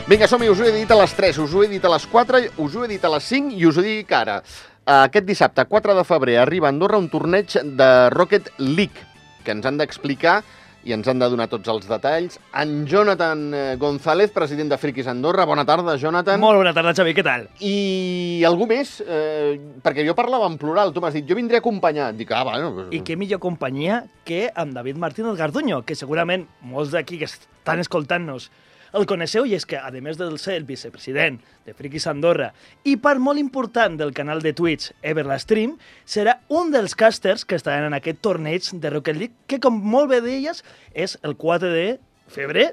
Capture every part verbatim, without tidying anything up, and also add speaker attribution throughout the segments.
Speaker 1: Vinga, som-hi, us ho he dit a les tres, us ho he dit a les quatre, us ho he dit a les cinc i us ho dic ara. Aquest dissabte, quatre de febrer, arriba a Andorra un torneig de Rocket League, que ens han d'explicar i ens han de donar tots els detalls. En Jonathan González, president de Frikis Andorra. Bona tarda, Jonathan.
Speaker 2: Molt bona tarda, Xavi, què tal?
Speaker 1: I algú més? Eh, perquè jo parlava en plural, tu m'has dit, jo vindré acompanyat. Dic, ah, bueno... Pues...
Speaker 2: I què millor companyia que amb David Martínez Garduño, que segurament molts d'aquí que estan escoltant-nos el coneixeu, i és que, a més de ser el vicepresident de Frikis Andorra i part molt important del canal de Twitch Everlastream, serà un dels casters que estaran en aquest torneig de Rocket League, que, com molt bé deies, és el quatre de febrer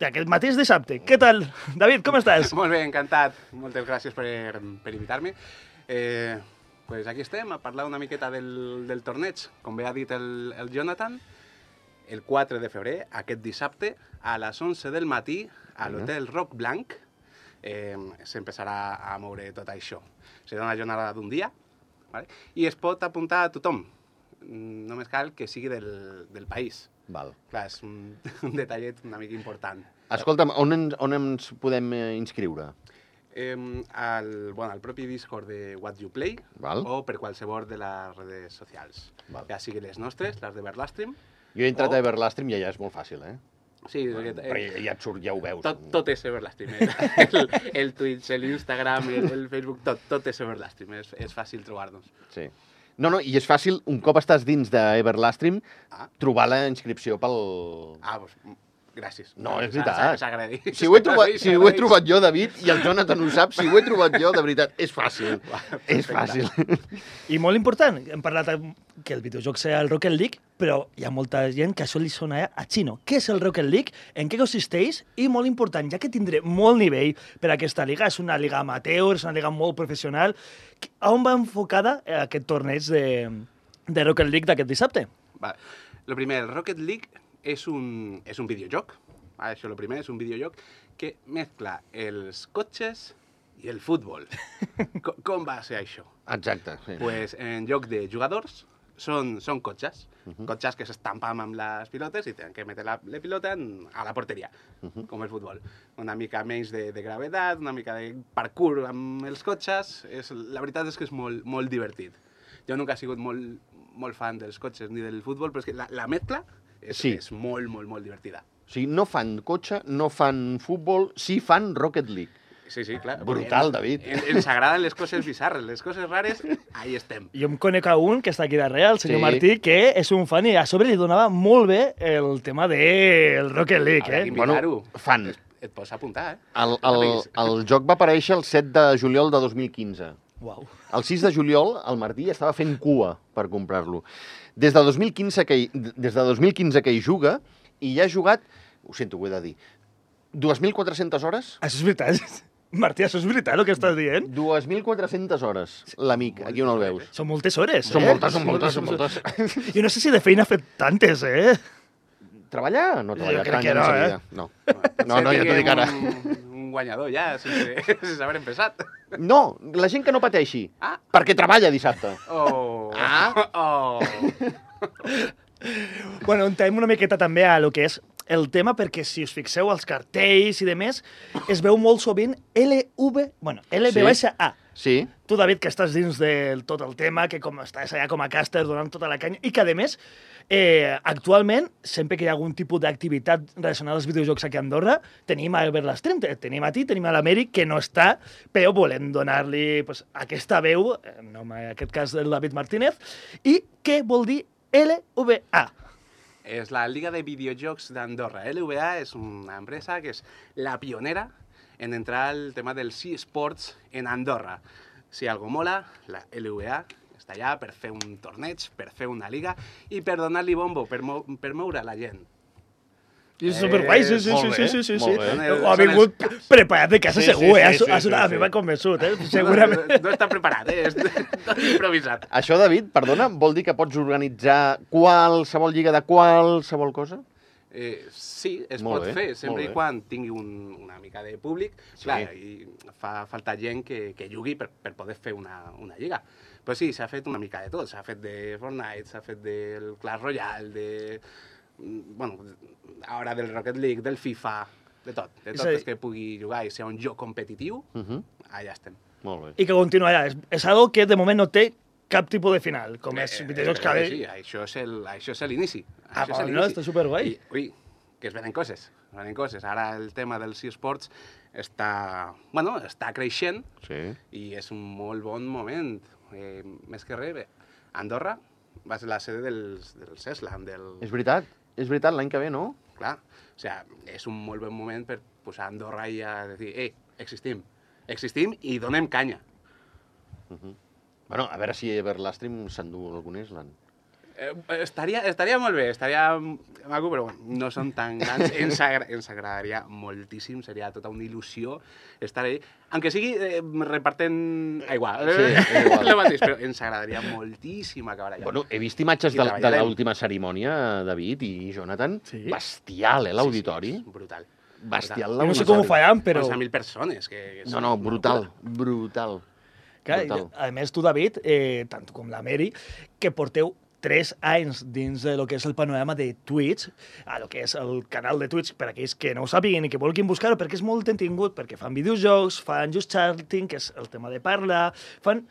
Speaker 2: d'aquest mateix dissabte. Què tal, David, com estàs?
Speaker 3: Molt bé, encantat. Moltes gràcies per, per invitar-me. Eh, pues aquí estem, a parlar una miqueta del, del torneig. Com bé ha dit el, el Jonathan, el quatre de febrer, aquest dissabte, a les onze del matí, a l'Hotel Roc Blanc, eh, s'empezarà a moure tot això. Serà una jornada d'un dia, ¿vale? I es pot apuntar a tothom. Només cal que sigui del, del país.
Speaker 1: Val.
Speaker 3: Clar, és un, un detallet una mica important.
Speaker 1: Escolta'm, on, en, on ens podem inscriure?
Speaker 3: Eh, al, bueno, al propi Discord de What You Play,
Speaker 1: Val.
Speaker 3: O per qualsevol de les redes socials.
Speaker 1: Val.
Speaker 3: Ja sigui les nostres, les de Everlastream.
Speaker 1: Jo he entrat
Speaker 3: o...
Speaker 1: a Everlastream i ja és molt fàcil, eh?
Speaker 3: Sí,
Speaker 1: Bueno,
Speaker 3: perquè,
Speaker 1: però
Speaker 3: eh,
Speaker 1: ja, ja et surt, ja ho veus.
Speaker 3: tot, tot és Everlastream. Eh? El, el Twitch, l'Instagram, el, el Facebook, tot, tot és Everlastream. És, és fàcil trobar-nos.
Speaker 1: Sí. No, no, i és fàcil, un cop estàs dins d'Everlastream,
Speaker 3: Ah.
Speaker 1: trobar la inscripció pel...
Speaker 3: Ah, doncs, gràcies.
Speaker 1: No, és
Speaker 3: S'ha-
Speaker 1: veritat.
Speaker 3: s'ha- S'agraeix.
Speaker 1: Si ho, he trobat, si ho he
Speaker 3: S'agraeix.
Speaker 1: trobat jo, David, i el Jonathan ho sap, si ho he trobat jo, de veritat, és fàcil. És
Speaker 3: Perfecte.
Speaker 1: fàcil.
Speaker 2: I molt important, hem parlat que el videojoc serà el Rocket League, però hi ha molta gent que això li sona a xino. Què és el Rocket League? En què consisteix? I molt important, ja que tindré molt nivell per a aquesta liga, és una liga amateur, és una liga molt professional, a on va enfocada aquest torneig de, de Rocket League d'aquest dissabte?
Speaker 3: Vale. Lo primer, el Rocket League és un, és un videojoc. Vale, això lo primer, és un videojoc que mescla els cotxes i el futbol. Com, com va ser això?
Speaker 1: Exacte, sí.
Speaker 3: Pues en lloc de jugadors, són, són cotxes.
Speaker 1: Uh -huh.
Speaker 3: Cotxes que s'estampen amb les pilotes i tenen que metre la, la pilota en, a la porteria,
Speaker 1: Uh -huh.
Speaker 3: com el futbol. Una mica menys de, de gravetat, una mica de parkour amb els cotxes. És, la veritat és que és molt, molt divertit. Jo nunca he sigut molt, molt fan dels cotxes ni del futbol, però és que la, la mescla és,
Speaker 1: Sí.
Speaker 3: és molt, molt, molt divertida.
Speaker 1: O sigui, no fan cotxe, no fan futbol, sí fan Rocket League.
Speaker 3: Sí, sí, clar.
Speaker 1: Brutal,
Speaker 3: En-
Speaker 1: David.
Speaker 3: En, ens agraden les coses bizarres, les coses rares, ahí estem.
Speaker 2: Jo em conec a un que està aquí darrere, el senyor
Speaker 1: Sí.
Speaker 2: Martí, que és un fan i a sobre li donava molt bé el tema del Rocket League,
Speaker 3: Haurà
Speaker 2: eh?
Speaker 3: d'invitar-ho.
Speaker 1: fan.
Speaker 3: Et, et pots apuntar, eh?
Speaker 1: El, el, el joc va aparèixer el set de juliol de dos mil quinze.
Speaker 2: Uau.
Speaker 1: El sis de juliol, el Martí estava fent cua per comprar-lo. Des de dos mil quinze que hi, des de dos mil quinze que hi juga, i ja ha jugat, ho sento, ho he de dir, dos mil quatre-centes hores?
Speaker 2: Això és veritat. Martí, això és veritat el que estàs dient?
Speaker 1: dos mil quatre-centes hores, l'amic, aquí on el veus.
Speaker 2: Són moltes hores,
Speaker 1: Són
Speaker 2: eh?
Speaker 1: moltes, són moltes, són moltes.
Speaker 2: Jo no sé si de feina ha fet tantes, eh?
Speaker 1: Treballar? No treballar
Speaker 2: Jo crec
Speaker 1: tant,
Speaker 2: que
Speaker 1: ja no,
Speaker 2: no,
Speaker 1: sabia.
Speaker 2: eh?
Speaker 1: No. No, no, ja t'ho dic ara.
Speaker 3: Un, un guanyador ja, sense, sense haver empezat.
Speaker 1: No, la gent que no pateixi,
Speaker 3: Ah.
Speaker 1: perquè treballa dissabte.
Speaker 3: Oh.
Speaker 1: Ah.
Speaker 3: Oh.
Speaker 2: Bueno, entrem una miqueta també a lo que és el tema, perquè si us fixeu als cartells i de més, es veu molt sovint L V, bueno, L V baixa A.
Speaker 1: Sí,
Speaker 2: Tu, David, que estàs dins de tot el tema, que com estàs allà com a caster donant tota la canya, i que, a més, eh, actualment, sempre que hi ha algun tipus d'activitat relacionada als videojocs aquí a Andorra, tenim a Everlastream, te- tenim a ti, tenim a l'Amèric, que no està, però volem donar-li pues, aquesta veu, en nom, en aquest cas del David Martínez, i què vol dir L V A?
Speaker 3: És la Liga de Videojocs d'Andorra. L V A és una empresa que és la pionera en entrar al tema dels eSports en Andorra. Si algo mola, la L V A està allà per fer un torneig, per fer una liga i per donar-li bombo, per, mou per moure la gent.
Speaker 2: I és superguai, sí, sí,
Speaker 1: molt
Speaker 2: sí,
Speaker 1: bé,
Speaker 2: sí, sí, sí.
Speaker 1: molt bé.
Speaker 2: sí. Ha vingut
Speaker 3: Són els caps.
Speaker 2: preparat de casa
Speaker 1: Sí, sí,
Speaker 2: segur, eh?
Speaker 1: sí, sí,
Speaker 2: Ha- ha-
Speaker 1: sí,
Speaker 2: A
Speaker 1: sí.
Speaker 2: mi m'ha convençut, eh? Segurament.
Speaker 3: No, no, no està preparat, eh? És tot improvisat.
Speaker 1: això, David, perdona, vol dir que pots organitzar qualsevol lliga de qualsevol cosa?
Speaker 3: Eh, sí, es
Speaker 1: Molt
Speaker 3: pot
Speaker 1: bé,
Speaker 3: fer,
Speaker 1: molt
Speaker 3: sempre
Speaker 1: bé.
Speaker 3: i quan tingui un, una mica de públic.
Speaker 1: Sí.
Speaker 3: Clar, i fa falta gent que, que jugui per, per poder fer una, una lliga. Però sí, s'ha fet una mica de tot. S'ha fet de Fortnite, s'ha fet del Clash Royale, de... Bueno, ara del Rocket League, del FIFA... de tot. De
Speaker 2: És
Speaker 3: tot
Speaker 2: a dir-
Speaker 3: és que pugui jugar i ser un joc competitiu,
Speaker 1: Uh -huh.
Speaker 3: allà estem.
Speaker 1: Molt bé.
Speaker 2: I que continuarà. És, és algo que de moment no té cap tipus de final, com és
Speaker 3: Eh,
Speaker 2: videojocs
Speaker 3: eh,
Speaker 2: que...
Speaker 3: Sí, això és el- això és l'inici.
Speaker 2: Ah,
Speaker 3: Això és
Speaker 2: però no,
Speaker 3: l'inici.
Speaker 2: està superguai.
Speaker 3: I, ui, que es venen coses, es venen coses. Ara el tema dels eSports està, bueno, està creixent
Speaker 1: Sí.
Speaker 3: i és un molt bon moment. Eh, més que res, bé, Andorra va ser la sede dels, del CESLAN, del...
Speaker 1: És veritat, és veritat, l'any que ve, no?
Speaker 3: Clar, o sea, és un molt bon moment per posar Andorra i a dir, eh, existim, existim i donem canya.
Speaker 1: Uh -huh. Bueno, a veure si Everlastream s'endú algun Island.
Speaker 3: Eh, estaria, estaria molt bé, estaria maco, però bueno, no són tan grans. Ens, agra ens agradaria moltíssim, seria tota una il·lusió estar allà. Aunque sigui eh, repartent aigua,
Speaker 1: Sí, és igual.
Speaker 3: lo mateix, però ens agradaria moltíssim acabar allà.
Speaker 1: Bueno, he vist imatges
Speaker 3: I
Speaker 1: de, de
Speaker 3: treballarem.
Speaker 1: l'última cerimònia, David i Jonathan.
Speaker 2: Sí.
Speaker 1: Bestial, eh, l'auditori.
Speaker 3: Sí, sí, brutal.
Speaker 1: Bestial
Speaker 2: Jo no sé com ho
Speaker 1: l'auditori.
Speaker 2: faran, però...
Speaker 3: onze mil persones. Que, que
Speaker 1: No, no, brutal, brutal.
Speaker 2: Clar,
Speaker 1: brutal.
Speaker 2: a més, tu, David, eh, tant tu com la Mary, que porteu tres anys dins de lo que és el panorama de Twitch, a lo que és el canal de Twitch, per aquells que no ho sàpiguen i que vulguin buscar-ho, perquè és molt entretingut, perquè fan videojocs, fan just chatting, que és el tema de parlar, fan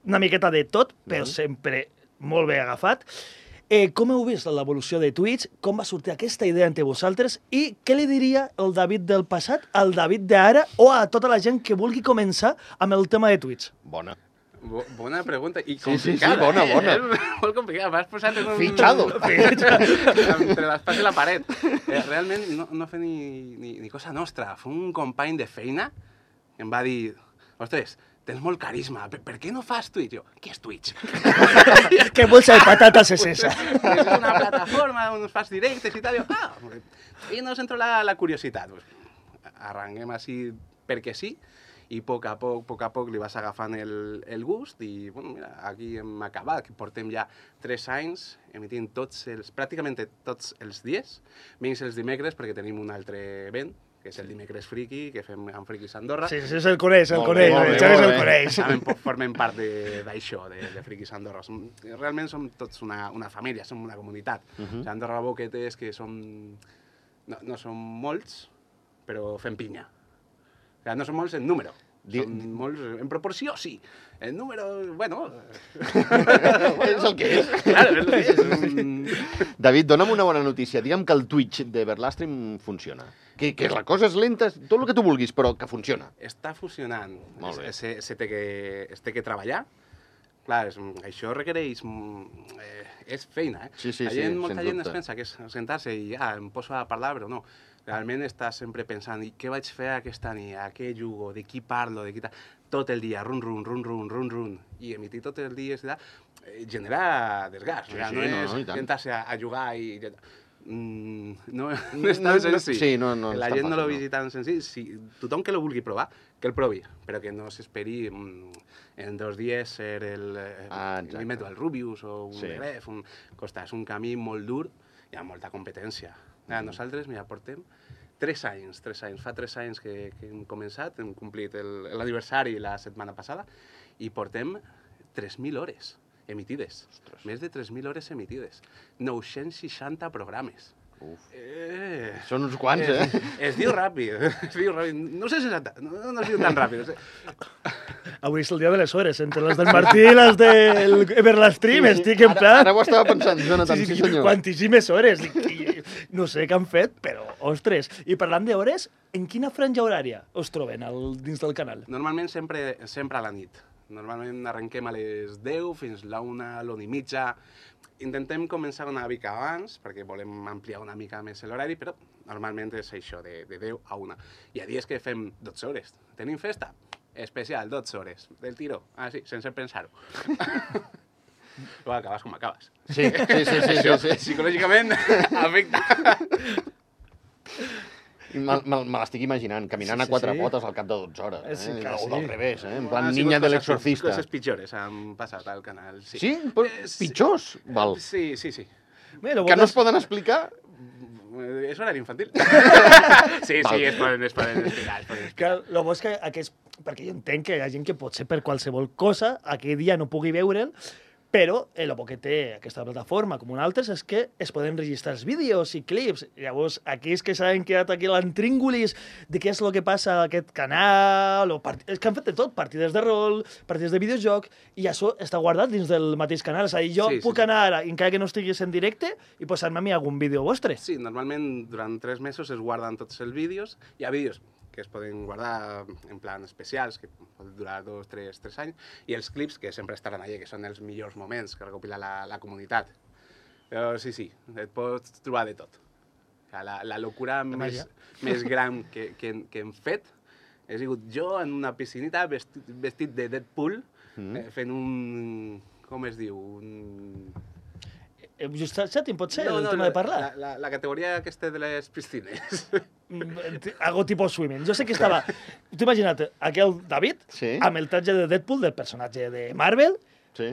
Speaker 2: una miqueta de tot, però
Speaker 1: Mhm.
Speaker 2: sempre molt ben agafat. Eh, com heu vist l'evolució de Twitch? Com va sortir aquesta idea entre vosaltres? I què li diria el David del passat al David d'ara o a tota la gent que vulgui començar amb el tema de Twitch?
Speaker 1: Bona.
Speaker 3: Bo bona pregunta i
Speaker 1: Sí, sí, sí,
Speaker 3: complicada.
Speaker 1: bona,
Speaker 3: eh?
Speaker 1: bona.
Speaker 3: És molt complicada, m'has posat en un...
Speaker 1: Fichado.
Speaker 3: Entre l'espàs i la paret. Eh, realment no, no fer ni, ni, ni cosa nostra. Fa un company de feina que em va dir, ostres, tens molt carisma, per, per què no fas Twitch? Jo, què és Twitch?
Speaker 2: Què bolsa de patates és esa?
Speaker 3: És una plataforma on fas directes i tal. Jo, ah, i nos entró la, la curiositat. Pues, arrenquem així perquè sí, i a poc a poc, a poc a poc li vas agafant el, el gust i, bueno, mira, aquí hem acabat, que portem ja tres anys emitint tots els, pràcticament tots els dies, menys els dimecres, perquè tenim un altre event, que és el Dimecres Friki, que fem amb Frikis Andorra.
Speaker 2: Sí, sí, se'l coneix, se'l
Speaker 1: Molt
Speaker 2: coneix,
Speaker 1: bé, molt
Speaker 2: el
Speaker 1: bé,
Speaker 2: Xavi
Speaker 1: molt
Speaker 2: se'l
Speaker 1: bé.
Speaker 2: coneix.
Speaker 3: També po- formem part de- d'això, de, de Frikis Andorra. Som, realment som tots una, una família, som una comunitat.
Speaker 1: Uh
Speaker 3: O
Speaker 1: -huh.
Speaker 3: sigui, Andorra Boquet és que som... No, no som molts, però fem pinya. O sigui, no som molts en número.
Speaker 1: Di-
Speaker 3: Som molts en proporció, sí. En número, bueno...
Speaker 1: És el que és.
Speaker 3: Claro, és el que és. Un-
Speaker 1: David, dona'm una bona notícia. Digue'm que el Twitch d'Everlastream funciona. Que, que la cosa és lenta, tot el que tu vulguis, però que funciona.
Speaker 3: Està funcionant.
Speaker 1: Molt bé.
Speaker 3: Se, se té que, es té que treballar. Clar, és, això requereix... mm, Eh, és feina, eh?
Speaker 1: Sí, sí,
Speaker 3: la
Speaker 1: sí,
Speaker 3: gent, molta
Speaker 1: sens
Speaker 3: gent
Speaker 1: dubte.
Speaker 3: es pensa que és sentar-se i ah, em poso a parlar, però no. Realment estàs sempre pensant, i què vaig fer aquesta nit, a què jugo, de qui parlo, de qui tal... Tot el dia, run, run, run, run, run, run. I emitir tot el dia i tal, eh, genera desgast.
Speaker 1: Sí,
Speaker 3: o sigui,
Speaker 1: sí,
Speaker 3: no
Speaker 1: no,
Speaker 3: és
Speaker 1: no, i tant.
Speaker 3: sentar-se a, a jugar i... Mm, no, no
Speaker 1: No,
Speaker 3: és tan
Speaker 1: no,
Speaker 3: senzill.
Speaker 1: sí, no, no és
Speaker 3: la
Speaker 1: tan
Speaker 3: gent no
Speaker 1: fàcil,
Speaker 3: lo
Speaker 1: no.
Speaker 3: vegi tan senzill. Si, tothom que lo vulgui provar, que el provi, però que no s'esperi mm, en dos dies ser el... eh,
Speaker 1: Ah, exacte.
Speaker 3: m'invento el Rubius o un
Speaker 1: Sí.
Speaker 3: sí. Gref, un... Costa, és un camí molt dur i amb molta competència. Mm. Nosaltres, mira, portem tres anys, tres anys. Fa tres anys que, que hem començat, hem complit el- l'aniversari la setmana passada i portem tres mil hores emitides.
Speaker 1: Ostres.
Speaker 3: Més de tres mil hores emitides. nou-cents seixanta programes.
Speaker 1: Uf.
Speaker 3: Eh,
Speaker 1: Són uns quants,
Speaker 3: es,
Speaker 1: eh?
Speaker 3: es diu ràpid, es diu ràpid. No sé seixanta, no, no es diu tan ràpid.
Speaker 2: Avui és el dia de les hores, entre les del Martí i les del Everlastream, estic en
Speaker 1: Ara,
Speaker 2: plan...
Speaker 1: ara ho estava pensant, Jonathan, sí, sí, senyor.
Speaker 2: Quantíssimes hores. I, i, no sé què han fet, però, ostres. I parlant d'hores, en quina franja horària us troben al, dins del canal?
Speaker 3: Normalment sempre, sempre a la nit. Normalment arrenquem a les deu fins la una, l'una i mitja. Intentem començar una mica abans, perquè volem ampliar una mica més l'horari, però normalment és això, de, de deu a una. Hi ha dies que fem dotze hores. Tenim festa? Especial, dotze hores. Del tiro. Ah, sí, sense pensar-ho. Però acabes com acabes.
Speaker 1: Sí, sí, sí, sí, sí,
Speaker 3: Això,
Speaker 1: sí.
Speaker 3: psicològicament, afecta.
Speaker 1: I Me, me, me l'estic imaginant, caminant
Speaker 2: Sí,
Speaker 1: a quatre
Speaker 2: sí.
Speaker 1: potes al cap de dotze hores. Eh?
Speaker 2: Sí, que
Speaker 1: o
Speaker 2: sí.
Speaker 1: del revés, eh? En
Speaker 3: Han
Speaker 1: plan
Speaker 3: sigut
Speaker 1: niña de
Speaker 3: coses-
Speaker 1: l'exorcista.
Speaker 3: Coses pitjores han passat al canal, sí.
Speaker 1: Sí? Però
Speaker 3: Eh, sí.
Speaker 1: pitjors? Val.
Speaker 3: Sí, sí, sí.
Speaker 2: Bé, lo
Speaker 1: Que
Speaker 2: bo
Speaker 1: no
Speaker 2: és-
Speaker 1: es poden explicar?
Speaker 3: Eh, És horari infantil. sí,
Speaker 1: Val.
Speaker 3: sí, es poden, es poden explicar. Es poden explicar.
Speaker 2: Que el bo és que aquests... Perquè jo entenc que hi ha gent que pot ser per qualsevol cosa, aquell dia no pugui veure'l, Però el bo que té aquesta plataforma, com una altra, és que es poden registrar els vídeos i clips. Llavors, aquells que s'han quedat aquí a l'antríngulis de què és el que passa a aquest canal, o part... és que han fet de tot, partides de rol, partides de videojoc, i això està guardat dins del mateix canal. És a dir, jo
Speaker 3: Sí, sí,
Speaker 2: puc
Speaker 3: sí.
Speaker 2: anar ara, encara que no estiguis en directe, i posar-me a mi algun vídeo vostre.
Speaker 3: Sí, normalment durant tres mesos es guarden tots els vídeos. Hi ha vídeos que es poden guardar en plan especials, que poden durar dos, tres, tres anys, i els clips, que sempre estaran allà, que són els millors moments que recopila la, la comunitat. Però sí, sí, et pots trobar de tot. O sigui, la, la locura més, més gran que, que, que hem fet he sigut jo en una piscinita vestit, vestit de Deadpool, mm. eh, fent un... com es diu? Un...
Speaker 2: Just chatting, pot ser, no, el no, tema de parlar?
Speaker 3: La, la, la categoria aquesta de les piscines.
Speaker 2: Algo tipus swimming. Jo sé que estava... T'ho imagina't, aquell David,
Speaker 1: sí.
Speaker 2: amb el tatge de Deadpool, del personatge de Marvel,
Speaker 1: sí.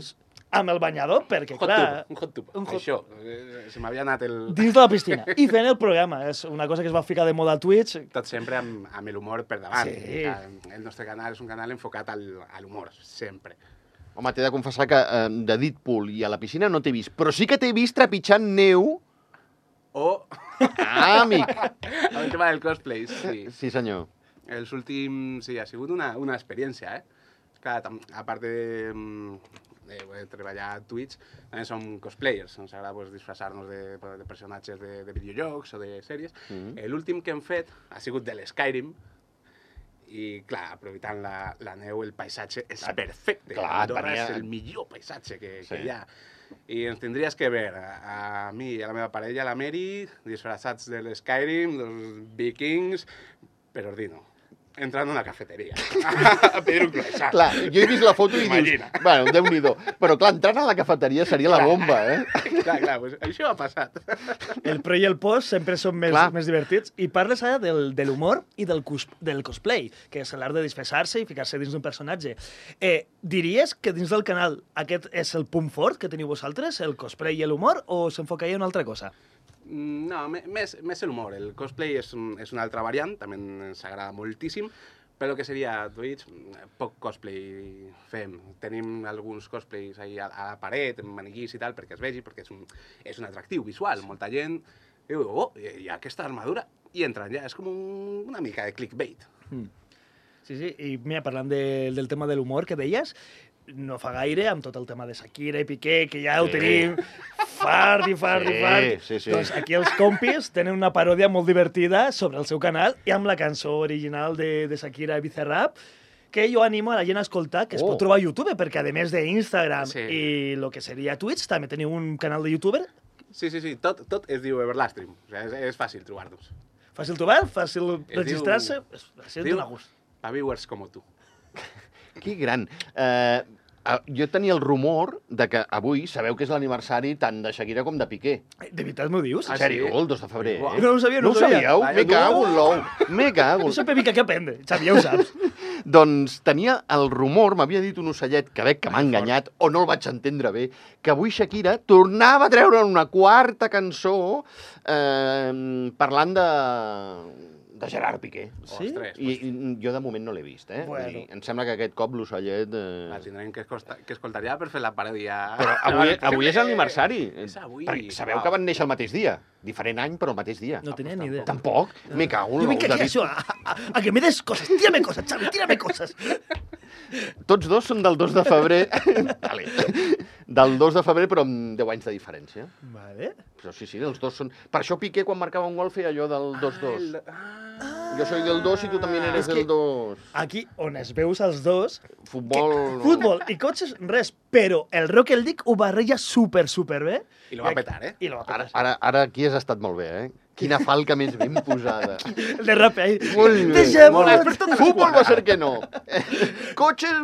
Speaker 2: amb el banyador, perquè,
Speaker 3: hot
Speaker 2: clar...
Speaker 3: Tub, un hot tub,
Speaker 2: un hot...
Speaker 3: això. Eh, se m'havia anat el...
Speaker 2: Dins de la piscina. I fent el programa. És una cosa que es va ficar de moda a Twitch.
Speaker 3: Tot sempre amb, amb l'humor per davant.
Speaker 2: Sí.
Speaker 3: El nostre canal és un canal enfocat al, a l'humor, sempre.
Speaker 1: Home, t'he de confessar que eh, de Deadpool i a la piscina no t'he vist, però sí que t'he vist trepitjant neu.
Speaker 3: O...
Speaker 1: Ah, amic!
Speaker 3: El tema del cosplay, sí.
Speaker 1: Sí, senyor.
Speaker 3: Els últims... Sí, ha sigut una, una experiència, eh? Clar, a part de, de, de treballar a Twitch, també som cosplayers. Ens agrada pues, disfressar-nos de, de personatges de, de videojocs o de sèries. Mm-hmm. L'últim que hem fet ha sigut de l'Skyrim, i, clar, aprofitant la, la neu, el paisatge és perfecte.
Speaker 1: Clar,
Speaker 3: Andorra
Speaker 1: venia...
Speaker 3: és el millor paisatge que,
Speaker 1: sí.
Speaker 3: que hi ha. I ens tindries que veure, a, a mi i a la meva parella, la Mary, disfressats de l'Skyrim, dels vikings, per ordino. Entrant a una cafeteria a pedir un croissant.
Speaker 1: Clar, jo he vist la foto i
Speaker 3: Imagina.
Speaker 1: dius, bueno, Déu-n'hi-do. Però clar, entrant a la cafeteria seria la bomba, eh?
Speaker 3: Clar, clar, pues això ha passat.
Speaker 2: El pre i el post sempre són més, més divertits. I parles ara del, de l'humor i del, cos, del cosplay, que és l'art de disfressar-se i ficar-se dins d'un personatge. Eh, diries que dins del canal aquest és el punt fort que teniu vosaltres, el cosplay i l'humor, o s'enfocaria en una altra cosa?
Speaker 3: No, més, més l'humor. El cosplay és, és una altra variant, també ens agrada moltíssim, però el que seria Twitch, poc cosplay fem. Tenim alguns cosplays ahí a, a la paret, en maniquís i tal, perquè es vegi, perquè és un, és un atractiu visual. Molta gent diu, oh, hi ha aquesta armadura, i entren ja. És com un, una mica de clickbait.
Speaker 2: Mm. Sí, sí, i mira, parlant de, del tema de l'humor que deies, no fa gaire, amb tot el tema de Shakira i Piqué, que ja sí. ho tenim fart i fart
Speaker 1: sí,
Speaker 2: i fart.
Speaker 1: Sí, sí.
Speaker 2: Doncs aquí els compis tenen una paròdia molt divertida sobre el seu canal i amb la cançó original de, de Shakira i Bizarrap, que jo animo a la gent a escoltar, que es oh. pot trobar a YouTube, perquè a més d'Instagram sí. i el que seria Twitch, també teniu un canal de YouTuber.
Speaker 3: Sí, sí, sí, tot, tot es diu Everlastream. O sigui, és, és fàcil trobar-nos.
Speaker 2: Fàcil trobar, fàcil registrar-se, es diu un gust.
Speaker 3: Pa viewers com tu.
Speaker 1: Que gran. Eh, jo tenia el rumor de que avui sabeu que és l'aniversari tant de Shakira com de Piqué.
Speaker 2: De veritat m'ho dius?
Speaker 1: En sèrio, el dos de febrer, eh?
Speaker 2: No ho sabia, no,
Speaker 1: no
Speaker 2: ho sabia.
Speaker 1: No ho sabíeu? Me cago en l'ou. Me cago.
Speaker 2: Jo sempre mica que aprendre. Xavi, ja ho saps.
Speaker 1: Doncs tenia el rumor, m'havia dit un ocellet que veig que m'ha enganyat, o no el vaig entendre bé, que avui Shakira tornava a treure una quarta cançó eh, parlant de... de Gerard Piqué.
Speaker 2: Sí?
Speaker 3: Ostres,
Speaker 1: I, I jo de moment no l'he vist, eh?
Speaker 2: Bueno.
Speaker 1: I em sembla que aquest cop l'ocellet... Eh...
Speaker 3: La tindrem que, escolta, que escoltar ja per fer la paròdia.
Speaker 1: Però avui, avui és l'aniversari.
Speaker 3: És avui.
Speaker 1: Perquè sabeu
Speaker 3: Wow.
Speaker 1: que van néixer el mateix dia. Diferent any, però el mateix dia.
Speaker 2: No tenia ni idea.
Speaker 1: Tampoc? Me cago en
Speaker 2: Jo vinc
Speaker 1: l'ou,
Speaker 2: aquí a això, a, a, a que me des coses. Tírame coses, Xavi, tírame coses.
Speaker 1: Tots dos són del dos de febrer. Vale. Del dos de febrer, però amb deu anys de diferència.
Speaker 2: Vale.
Speaker 1: Però sí, sí, els dos són... Per això Piqué, quan marcava un gol, feia allò del dos dos.
Speaker 3: Ah,
Speaker 1: Jo soy del dos i tu també eres
Speaker 2: És
Speaker 1: del
Speaker 2: que-
Speaker 1: dos.
Speaker 2: Aquí, on es veus els dos,
Speaker 1: Futbol...
Speaker 2: que, futbol i cotxes, res, però el Rocket League ho barreja super, super bé.
Speaker 3: I lo va petar, eh?
Speaker 2: I lo va
Speaker 1: Ara,
Speaker 2: petar.
Speaker 1: ara, ara aquí has estat molt bé, eh? Quina falca més ben posada.
Speaker 2: El de rap, eh?
Speaker 1: Molt bé,
Speaker 2: Deixem
Speaker 1: molt
Speaker 2: per
Speaker 1: bé.
Speaker 2: tota la
Speaker 1: Futbol
Speaker 2: esquadra.
Speaker 1: va ser que no. Cotxes,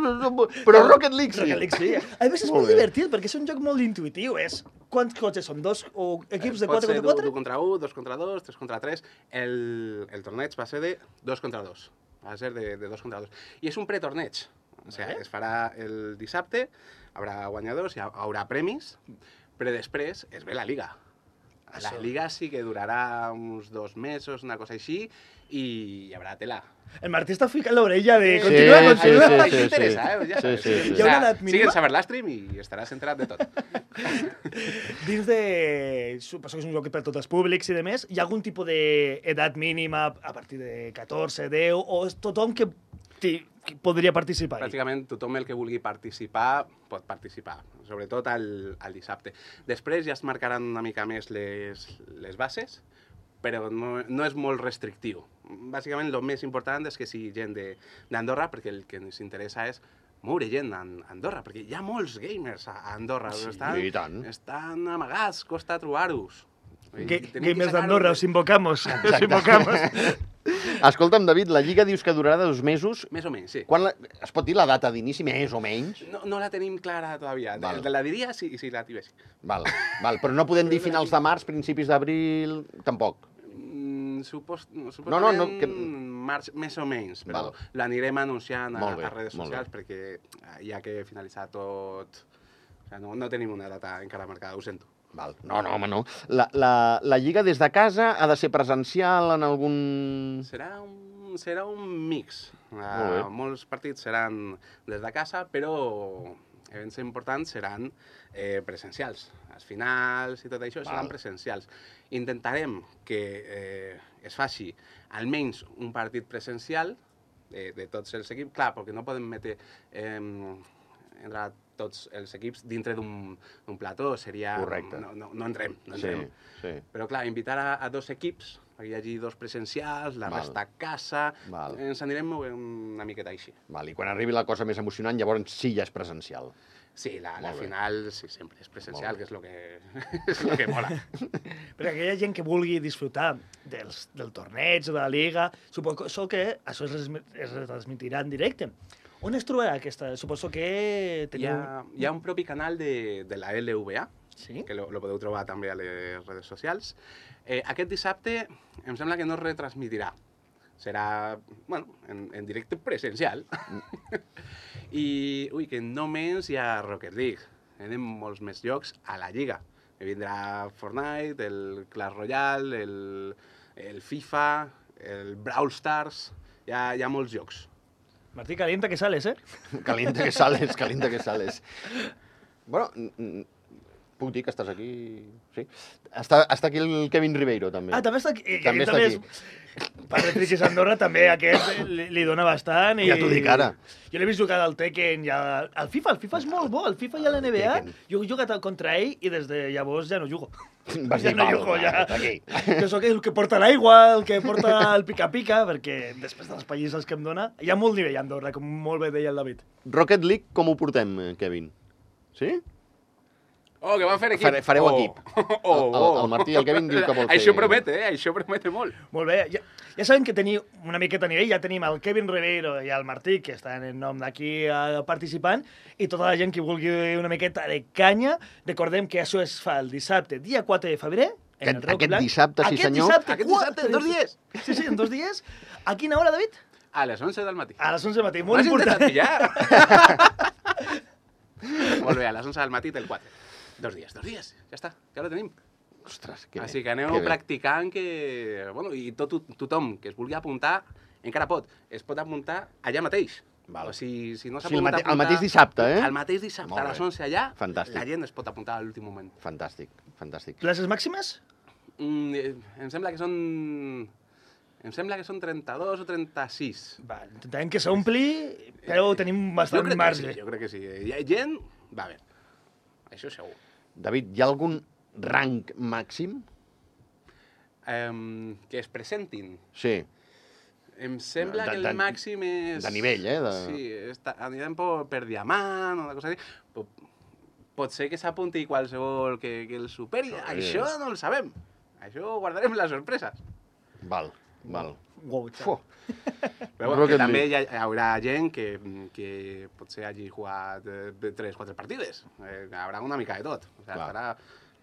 Speaker 1: però Rocket League sí.
Speaker 2: Rocket League, sí. A més, és
Speaker 1: Molt
Speaker 2: molt
Speaker 1: bé.
Speaker 2: divertit, perquè és un joc molt intuitiu. És quants cotxes són? Dos o equips de
Speaker 3: Pot
Speaker 2: quatre
Speaker 3: ser
Speaker 2: contra quatre?
Speaker 3: u contra u, dos contra dos, tres contra tres. El, el torneig va ser de dos contra dos. Va ser de, de dos contra dos. I és un pretorneig. O sigui,
Speaker 2: Vale.
Speaker 3: es farà el dissabte, haurà guanyadors, hi ha- haurà premis, però després es ve la Liga. La Liga sí que durarà uns dos mesos, una cosa així, i hi haurà tela.
Speaker 2: El Martí està ficant l'orella de...
Speaker 1: Sí,
Speaker 2: Continua,
Speaker 1: sí,
Speaker 2: continua.
Speaker 1: sí,
Speaker 3: Això t'interessa, eh? Ja
Speaker 1: Sí,
Speaker 3: sabes.
Speaker 1: sí, sí.
Speaker 2: Hi ha una edat mínima?
Speaker 3: Sigues a Verlastream i estaràs enterat de tot.
Speaker 2: Dins de... Suposo que és un joc per tots els públics i demés. Hi ha algun tipus d'edat mínima a partir de catorze, deu, o és tothom que, que podria participar?
Speaker 3: Pràcticament tothom el que vulgui participar pot participar, sobretot al, al dissabte. Després ja es marcaran una mica més les, les bases, però no, no és molt restrictiu. Bàsicament, el més important és que sigui gent d'Andorra, perquè el que ens interessa és moure gent a Andorra, perquè hi ha molts gamers a Andorra.
Speaker 1: Sí,
Speaker 3: estan,
Speaker 1: i tant.
Speaker 3: Estan amagats, costa trobar-los.
Speaker 2: Gamers d'Andorra, os invocamos. Os invocamos.
Speaker 1: Escolta'm, David, la Lliga dius que durarà dos mesos.
Speaker 3: Més o menys, sí.
Speaker 1: Quan la... Es pot dir la data d'inici, més o menys?
Speaker 3: No, no la tenim clara todavía.
Speaker 1: Val.
Speaker 3: Te la diria si, si la tivessi.
Speaker 1: Val, val, però no podem dir finals de març, principis d'abril, tampoc.
Speaker 3: Mm, supos,
Speaker 1: No, no, no, que-
Speaker 3: març, més o menys, però
Speaker 1: Val.
Speaker 3: l'anirem anunciant a,
Speaker 1: Molt bé,
Speaker 3: a redes
Speaker 1: molt
Speaker 3: socials perquè hi ha que finalitzar tot. O sigui, no, no tenim una data encara marcada, ho sento.
Speaker 1: Val. No, no, home, no. La, la, la Lliga des de casa ha de ser presencial en algun...
Speaker 3: Serà un, serà un mix.
Speaker 1: Molt bé.
Speaker 3: Uh, molts partits seran des de casa, però events importants seran eh, presencials. Els finals i tot això
Speaker 1: Val.
Speaker 3: seran presencials. Intentarem que eh, es faci almenys un partit presencial de, de tots els equips. Clar, perquè no podem metre eh, entre tots els equips dintre d'un plató. Seria...
Speaker 1: Correcte.
Speaker 3: No, no, no entrem, no
Speaker 1: Sí,
Speaker 3: entrem.
Speaker 1: sí.
Speaker 3: Però clar, invitar a, a dos equips, perquè hi hagi dos presencials, la
Speaker 1: Val.
Speaker 3: resta a casa,
Speaker 1: Val.
Speaker 3: ens anirem movent una miqueta així.
Speaker 1: Val, i quan arribi la cosa més emocionant, llavors sí ja és presencial.
Speaker 3: Sí, la, la
Speaker 1: Molt bé.
Speaker 3: final sí, sempre és presencial,
Speaker 1: Molt
Speaker 3: que és el que, és lo que mola.
Speaker 2: Per aquella gent que vulgui disfrutar dels, del torneig, de la Liga, suposo que això es, resmi- es retransmitirà en directe. On es trobarà aquesta? Suposo que
Speaker 3: Hi
Speaker 2: teniu...
Speaker 3: ha, hi ha un propi canal de, de la L V A,
Speaker 2: Sí?
Speaker 3: que lo, lo podeu trobar també a les redes socials. Eh, aquest dissabte em sembla que no es retransmitirà. Serà, bueno, en, en directe presencial. I, ui, que només hi ha Rocket League. Tenim molts més jocs a la Lliga. Que vindrà Fortnite, el Clash Royale, el, el FIFA, el Brawl Stars... Hi ha, hi ha molts jocs.
Speaker 2: Martí, calienta que sales, eh?
Speaker 1: Calienta que sales, calienta que sales. Bueno, n- n- puc dir que estàs aquí... Sí? Està, està aquí el Kevin Ribeiro, també.
Speaker 2: Ah, també està aquí. I
Speaker 1: També
Speaker 2: aquest
Speaker 1: està
Speaker 2: és... Per de Friquis Andorra també aquest li, li dona bastant. I...
Speaker 1: Ja t'ho dic ara.
Speaker 2: Jo l'he vist jugar al Tekken i al, al FIFA. El FIFA és molt bo, el FIFA i a l'N B A.
Speaker 1: Tekken.
Speaker 2: Jo he jugat contra ell i des de llavors ja no jugo.
Speaker 1: Vas
Speaker 2: ja
Speaker 1: dir,
Speaker 2: no
Speaker 1: "Val,
Speaker 2: jugo,
Speaker 1: va,
Speaker 2: ja.
Speaker 1: aquí".
Speaker 2: Jo sóc el que porta l'aigua, el que porta el pica-pica, perquè després de les pallisses que em dona, hi ha molt nivell a Andorra, com molt bé deia el David.
Speaker 1: Rocket League, com ho portem, eh, Kevin? Sí?
Speaker 3: Oh, que van fer equip.
Speaker 1: Fare- fareu
Speaker 3: oh.
Speaker 1: equip.
Speaker 3: Oh, oh.
Speaker 1: El- el Martí i el Kevin diu que vol fer-
Speaker 3: Això promete, eh? Això promete molt.
Speaker 2: Molt bé, ja, ja sabem que teniu una miqueta a nivell, ja tenim el Kevin Ribeiro i el Martí, que estan en nom d'aquí eh, participant, i tota la gent que vulgui una miqueta de canya. Recordem que això es fa el dissabte, dia quatre de febrer, en
Speaker 1: Aquest-
Speaker 2: el Roc
Speaker 1: aquest
Speaker 2: Blanc.
Speaker 1: dissabte, sí,
Speaker 2: aquest
Speaker 1: senyor.
Speaker 2: Dissabte,
Speaker 3: Aquest dissabte, en dos
Speaker 2: quatre-
Speaker 3: dies.
Speaker 2: Sí, sí, en dos dies. A quina hora, David?
Speaker 3: A les onze del matí.
Speaker 2: A les onze del matí, molt
Speaker 3: M'has
Speaker 2: important.
Speaker 3: intentat pillar? Molt bé, a les onze del matí del quatre. Dos dies, dos dies, ja està, ja ho tenim.
Speaker 1: Ostres, que
Speaker 3: Així
Speaker 1: bé,
Speaker 3: que aneu
Speaker 1: que bé.
Speaker 3: practicant que... Bueno, i tot, tothom que es vulgui apuntar, encara pot. Es pot apuntar allà mateix.
Speaker 1: Val.
Speaker 3: O si, si no
Speaker 1: O
Speaker 3: s'ha
Speaker 1: sigui, el
Speaker 3: pogut
Speaker 1: mate- el
Speaker 3: apuntar...
Speaker 1: mateix dissabte, eh?
Speaker 3: El mateix dissabte,
Speaker 1: Molt
Speaker 3: a les
Speaker 1: bé.
Speaker 3: onze allà,
Speaker 1: Fantàstic.
Speaker 3: la gent es pot apuntar a l'últim moment.
Speaker 1: Fantàstic, fantàstic.
Speaker 2: Places màximes?
Speaker 3: Mm, eh, em sembla que són... Em sembla que són trenta-dos o trenta-sis.
Speaker 2: Va, intentarem que s'ompli, però tenim
Speaker 3: Jo
Speaker 2: bastant
Speaker 3: crec que
Speaker 2: marge.
Speaker 3: sí, jo crec que sí. Hi ha gent... Va bé. Això segur.
Speaker 1: David, hi ha algun rang màxim?
Speaker 3: Um, que es presentin.
Speaker 1: Sí.
Speaker 3: Em sembla
Speaker 1: De-
Speaker 3: que
Speaker 1: de-
Speaker 3: el màxim és...
Speaker 1: de nivell, eh, de-
Speaker 3: Sí, està, anirem per, per diamant o una cosa així. Pot, pot ser que s'apunti qualsevol que, que el superi.
Speaker 1: Sí.
Speaker 3: Això no el sabem. Això ho guardarem les sorpreses.
Speaker 1: Val, val.
Speaker 2: Wow,
Speaker 1: Fu.
Speaker 3: Però bueno,
Speaker 1: Rocket
Speaker 3: que també
Speaker 1: League.
Speaker 3: hi, ha, hi haurà gent que, que potser hagi jugat eh, tres o quatre partides. Eh, haurà una mica de tot. O sigui,
Speaker 1: Clar.
Speaker 3: estarà...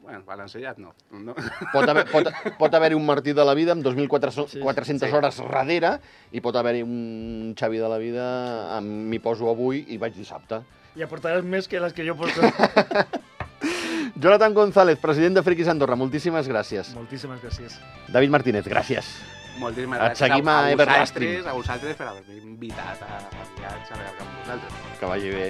Speaker 3: Bueno, balanceat no. no.
Speaker 1: Pot haver- pot- pot haver-hi un Martí de la vida amb dos mil quatre-cents
Speaker 2: Sí,
Speaker 1: quatre-centes
Speaker 3: sí.
Speaker 1: hores darrere i pot haver-hi un Xavi de la vida amb m'hi poso avui i vaig dissabte.
Speaker 2: I aportaràs més que les que jo porto.
Speaker 1: Jonathan González, president de Friquis Andorra, moltíssimes gràcies.
Speaker 2: Moltíssimes gràcies.
Speaker 1: David Martínez, gràcies.
Speaker 3: Moltíssimes
Speaker 1: Et
Speaker 3: gràcies
Speaker 1: seguim
Speaker 3: a,
Speaker 1: a
Speaker 3: a,
Speaker 1: Everlasting.
Speaker 3: vosaltres, a vosaltres per haver-me invitat a, a viatjar amb vosaltres.
Speaker 1: Que vagi bé.